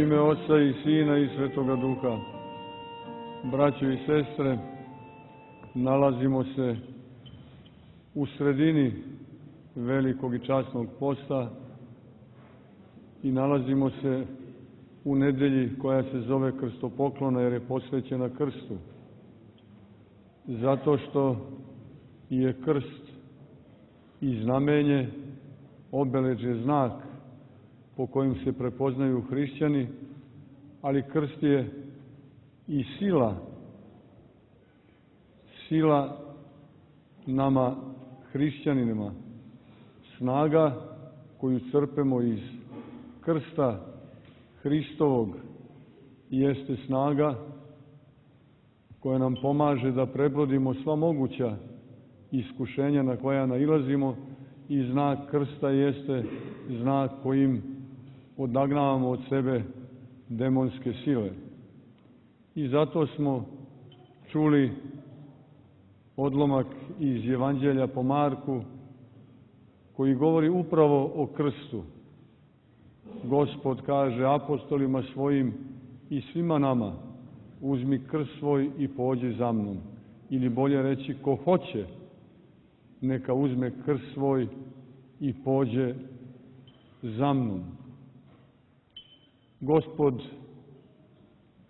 ime Oca i Sina i Svetoga Duha. Braćo i sestre, nalazimo se u sredini velikog i časnog posta i nalazimo se u nedelji koja se zove krstopoklona jer je posvećena krstu. Zato što je krst i znamenje, obeležje, znak po kojim se prepoznaju hrišćani, ali krst je i sila nama hrišćanima, snaga koju crpemo iz krsta Hristovog jeste snaga koja nam pomaže da prebrodimo sva moguća iskušenja na koja nailazimo i znak krsta jeste znak kojim odagnavamo od sebe demonske sile. I zato smo čuli odlomak iz Evanđelja po Marku koji govori upravo o krstu. Gospod kaže apostolima svojim i svima nama: uzmi krst svoj i pođi za mnom. Ili bolje reći, ko hoće, neka uzme krst svoj i pođe za mnom. Gospod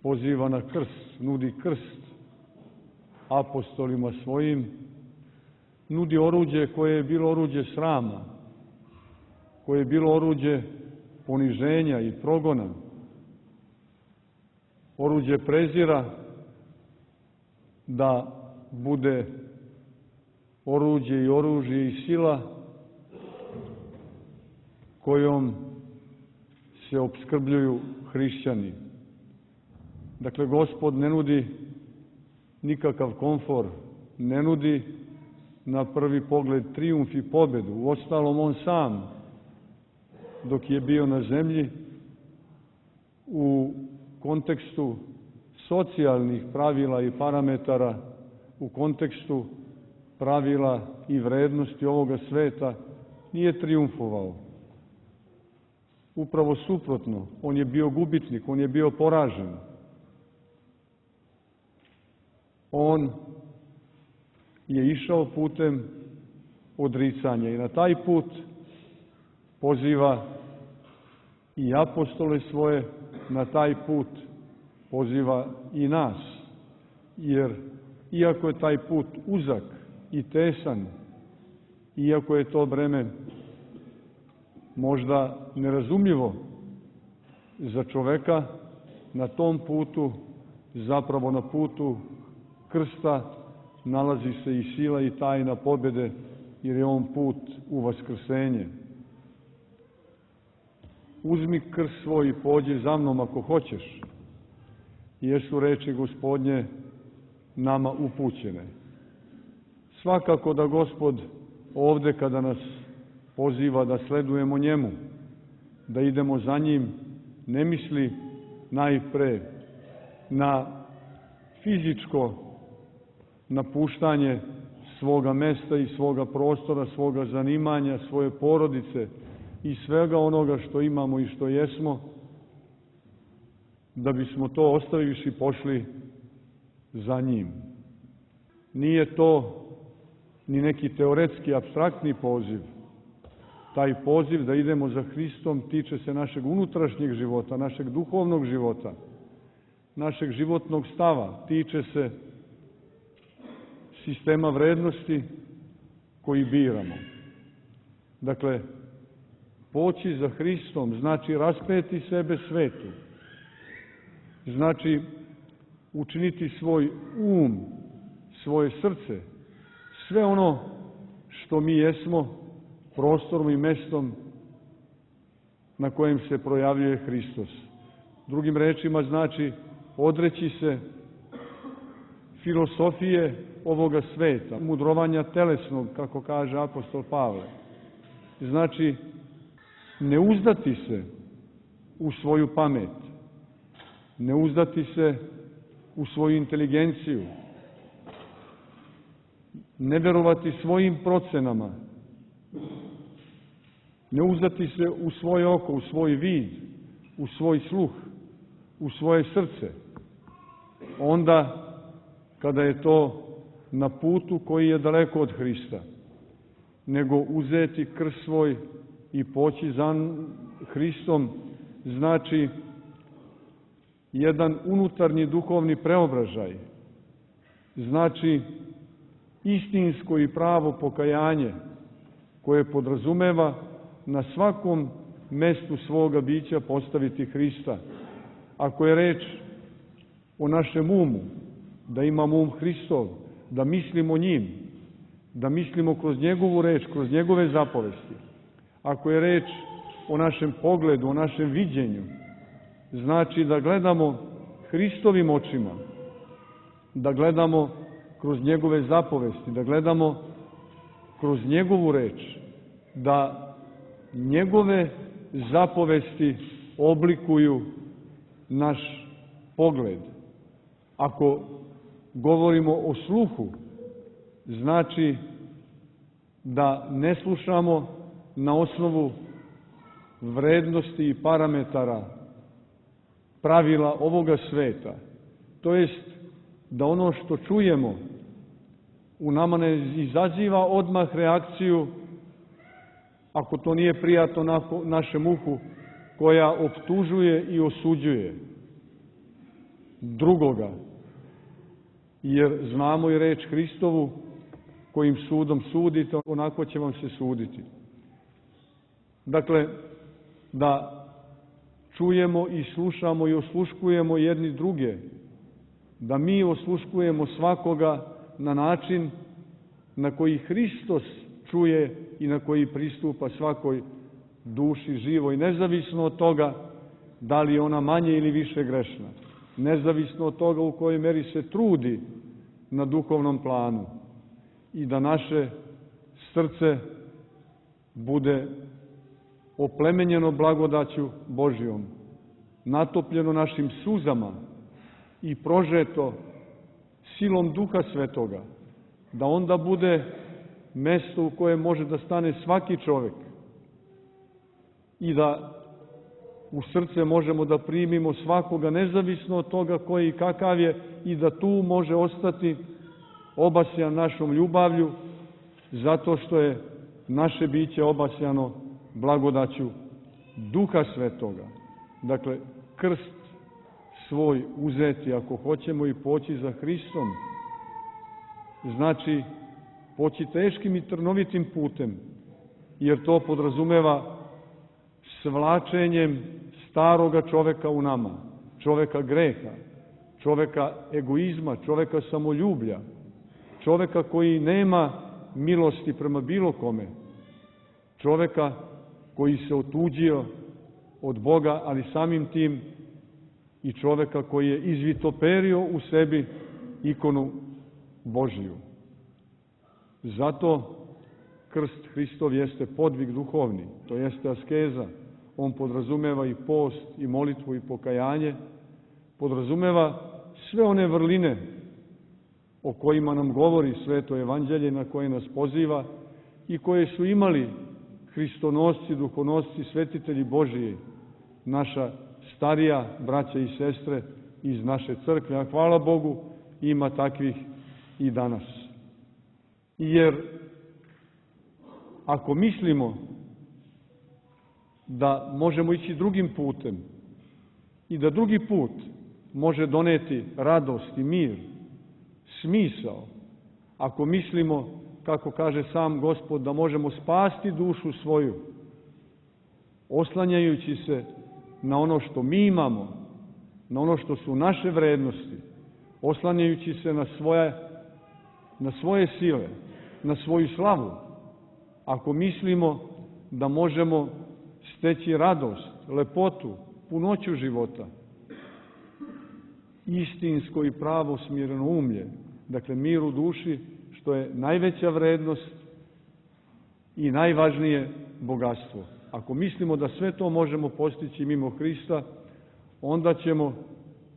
poziva na krst, nudi krst apostolima svojim, nudi oruđe koje je bilo oruđe srama, koje je bilo oruđe poniženja i progona, oruđe prezira, da bude oruđe i oružje i sila kojom se opskrbljuju hrišćani. Dakle, Gospod ne nudi nikakav komfor, ne nudi na prvi pogled trijumf i pobedu. Uostalom, on sam, dok je bio na zemlji, u kontekstu socijalnih pravila i parametara, u kontekstu pravila i vrednosti ovoga sveta, nije trijumfovao. Upravo suprotno, on je bio gubitnik, on je bio poražen. On je išao putem odricanja i na taj put poziva i apostole svoje, na taj put poziva i nas. Jer iako je taj put uzak i tesan, iako je to breme možda nerazumljivo za čoveka, na tom putu, zapravo na putu krsta, nalazi se i sila i tajna pobjede, jer je on put u vaskrsenje. Uzmi krst svoj i pođi za mnom ako hoćeš, jesu reči Gospodnje nama upućene. Svakako da Gospod ovde kada nas poziva da sledujemo njemu, da idemo za njim, ne misli najpre na fizičko napuštanje svoga mesta i svoga prostora, svoga zanimanja, svoje porodice i svega onoga što imamo i što jesmo, da bismo to ostavivši i pošli za njim. Nije to ni neki teoretski, apstraktni poziv. Taj poziv da idemo za Hristom tiče se našeg unutrašnjeg života, našeg duhovnog života, našeg životnog stava, tiče se sistema vrednosti koji biramo. Dakle, poći za Hristom znači raspeti sebe svetu, znači učiniti svoj svoje srce, sve ono što mi jesmo, prostorom i mestom na kojem se projavljuje Hristos. Drugim rečima znači odreći se filosofije ovoga sveta, mudrovanja telesnog, kako kaže apostol Pavle. Znači ne uzdati se u svoju pamet, ne uzdati se u svoju inteligenciju, ne verovati svojim procenama, ne uzdati se u svoje oko, u svoj vid, u svoj sluh, u svoje srce, onda kada je to na putu koji je daleko od Hrista, nego uzeti krst svoj i poći za Hristom, znači jedan unutarnji duhovni preobražaj, znači istinsko i pravo pokajanje koje podrazumeva na svakom mestu svoga bića postaviti Hrista. Ako je reč o našem umu, da imamo um Hristov, da mislimo njim, da mislimo kroz njegovu reč, kroz njegove zapovesti. Ako je reč o našem pogledu, o našem viđenju, znači da gledamo Hristovim očima, da gledamo kroz njegove zapovesti, da gledamo kroz njegovu reč, da njegove zapovesti oblikuju naš pogled. Ako govorimo o sluhu, znači da ne slušamo na osnovu vrednosti i parametara pravila ovoga sveta. To jest da ono što čujemo u nama ne izaziva odmah reakciju, ako to nije prijatno našem uhu, koja optužuje i osuđuje drugoga. Jer znamo i reč Hristovu, kojim sudom sudite, onako će vam se suditi. Dakle, da čujemo i slušamo i osluškujemo jedni druge, da mi osluškujemo svakoga na način na koji Hristos čuje i na koji pristupa svakoj duši živoj, nezavisno od toga da li je ona manje ili više grešna, nezavisno od toga u kojoj meri se trudi na duhovnom planu, i da naše srce bude oplemenjeno blagodaću Božjom, natopljeno našim suzama i prožeto silom Duha Svetoga, da onda bude mesto u koje može da stane svaki čovek i da u srce možemo da primimo svakoga, nezavisno od toga koji i kakav je, i da tu može ostati obasjan našom ljubavlju, zato što je naše biće obasjano blagodaću Duha Svetoga. Dakle, krst svoj uzeti, ako hoćemo, i poći za Hristom, znači poći teškim i trnovitim putem, jer to podrazumeva svlačenjem staroga čoveka u nama, čoveka greha, čoveka egoizma, čoveka samoljublja, čoveka koji nema milosti prema bilo kome, čoveka koji se otuđio od Boga, ali samim tim i čoveka koji je izvitoperio u sebi ikonu Božiju. Zato krst Hristov jeste podvig duhovni, to jeste askeza. On podrazumeva i post, i molitvu, i pokajanje, podrazumeva sve one vrline o kojima nam govori Sveto Evanđelje, na koje nas poziva i koje su imali hristonosci, duhonosci, svetitelji Božiji, naša starija braća i sestre iz naše crkve, a hvala Bogu ima takvih i danas. Jer ako mislimo da možemo ići drugim putem i da drugi put može doneti radost i mir, smisao, ako mislimo, kako kaže sam Gospod, da možemo spasti dušu svoju, oslanjajući se na ono što mi imamo, na ono što su naše vrednosti, oslanjajući se na svoje sile, na svoju slavu, ako mislimo da možemo steći radost, lepotu, punoću života, istinsko i pravo smireno umlje, dakle mir u duši, što je najveća vrednost i najvažnije bogatstvo. Ako mislimo da sve to možemo postići mimo Hrista, onda ćemo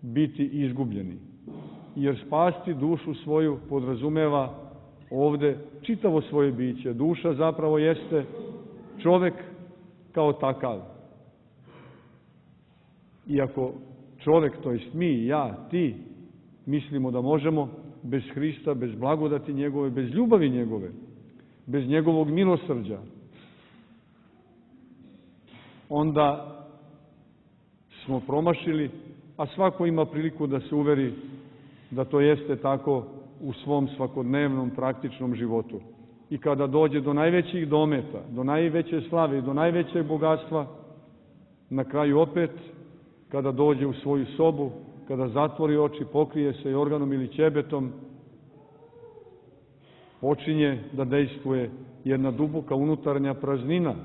biti izgubljeni. Jer spasti dušu svoju podrazumeva ovde čitavo svoje biće. Duša zapravo jeste čovek kao takav. I ako čovek, to jest mi, ja, ti, mislimo da možemo bez Hrista, bez blagodati njegove, bez ljubavi njegove, bez njegovog milosrđa, onda smo promašili, a svako ima priliku da se uveri da to jeste tako u svom svakodnevnom praktičnom životu. I kada dođe do najvećih dometa, do najveće slave i do najvećeg bogatstva, na kraju opet, kada dođe u svoju sobu, kada zatvori oči, pokrije se jorganom ili ćebetom, počinje da dejstvuje jedna duboka unutarnja praznina,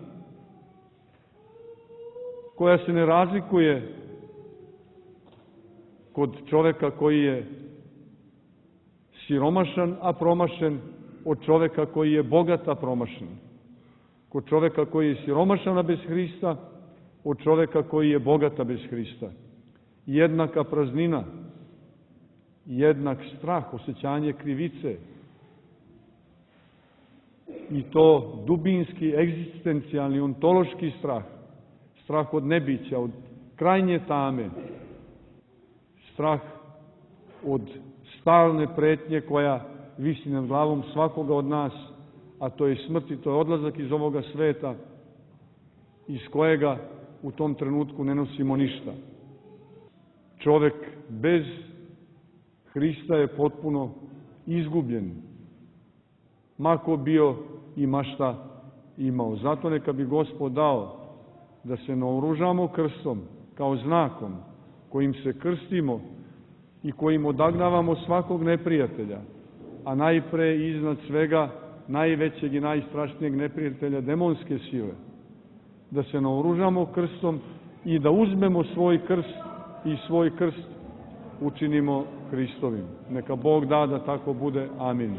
koja se ne razlikuje kod čoveka koji je siromašan, a promašen, od čoveka koji je bogat, a promašen. Kod čoveka koji je siromašan, a bez Hrista, od čoveka koji je bogat, a bez Hrista. Jednaka praznina, jednak strah, osjećanje krivice, i to dubinski, egzistencijalni, ontološki strah, strah od nebića, od krajnje tame, strah od stalne pretnje koja visi nad glavom svakoga od nas, a to je smrt i to je odlazak iz ovoga sveta, iz kojega u tom trenutku ne nosimo ništa. Čovek bez Hrista je potpuno izgubljen, mako bio i ma šta imao. Zato neka bi Gospod dao da se naoružamo krstom kao znakom kojim se krstimo i kojim odagnavamo svakog neprijatelja, a najpre i iznad svega najvećeg i najstrašnijeg neprijatelja, demonske sile. Da se naoružamo krstom i da uzmemo svoj krst i svoj krst učinimo Hristovim. Neka Bog da da tako bude. Amin.